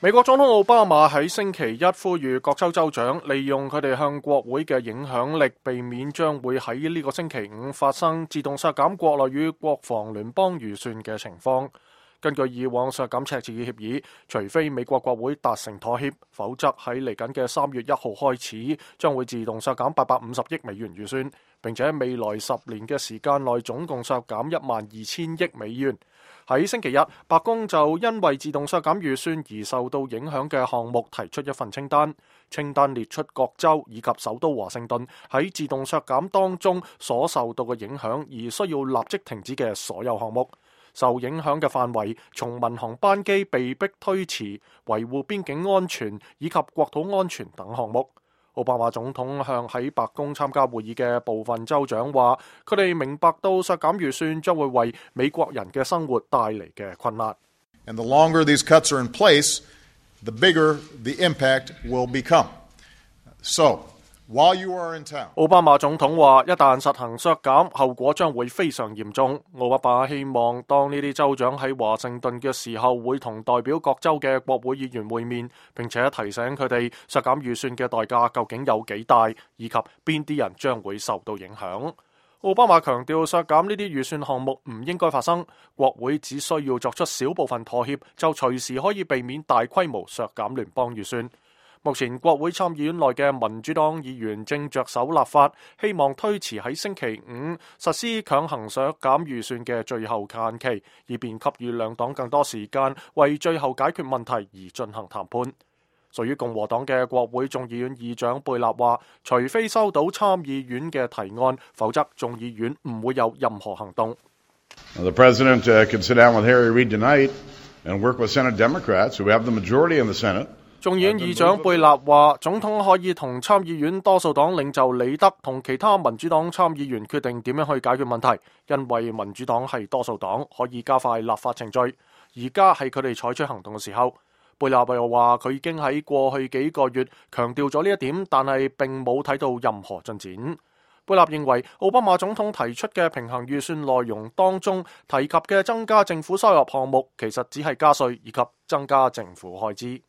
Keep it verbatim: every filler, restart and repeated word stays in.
美國總統奧巴馬喺星期一呼籲各州州長利用佢哋向國會嘅影響力，避免將會喺呢個星期五發生自動削減國內與國防聯邦預算嘅情況。根據以往削減赤字嘅協議，除非美國國會達成妥協，否則喺嚟緊嘅三月一號開始，將會自動削減八百五十億美元預算，並且未來十年嘅時間內總共削減一萬二千億美元。喺星期日，白宮就因為自動削減預算而受到影響嘅項目提出一份清單，清單列出各州以及首都華盛頓喺自動削減當中所受到嘅影響而需要立即停止嘅所有項目。受影響嘅範圍從民航班機被迫推遲、維護邊境安全以及國土安全等項目。奧巴馬總統向喺白宮參加會議嘅部分州長話，佢哋明白到削減預算將會為美國人嘅生活帶嚟嘅困難。And the longer these cuts are in place, the bigger the impact will become. So, while you are in town, 奧巴馬總統話，一旦實行削減，後果將會非常嚴重。奧巴馬希望當呢啲州長喺華盛頓嘅時候，會同代表各州嘅國會議員會面，並且提醒佢哋削減預算嘅代價究竟有幾大，以及邊啲人將會受到影響。奧巴馬強調，削減呢啲預算項目唔應該發生，國會只需要作出小部分妥協，就隨時可以避免大規模削減聯邦預算。目前國會參議院內嘅民主黨議員正着手立法，希望推遲喺星期五實施強行削減預算嘅最後限期，以便給予兩黨更多時間為最後解決問題而進行談判。屬於共和黨嘅國會眾議院議長貝納話，除非收到參議院嘅提案，否則眾議院唔會有任何行動。The President uh, can sit down with Harry Reid tonight and work with Senate Democrats who have the majority in the Senate.眾議院議長貝納話，總統可以同參議院多數黨領袖李德同其他民主黨參議員決定點樣去解決問題，因為民主黨係多數黨，可以加快立法程序。而家係佢哋採取行動嘅時候。貝納又話，佢已經喺過去幾個月強調咗呢一點，但係並冇睇到任何進展。貝納認為，奧巴馬總統提出嘅平衡預算內容當中提及嘅增加政府收入項目，其實只係加稅以及增加政府開支。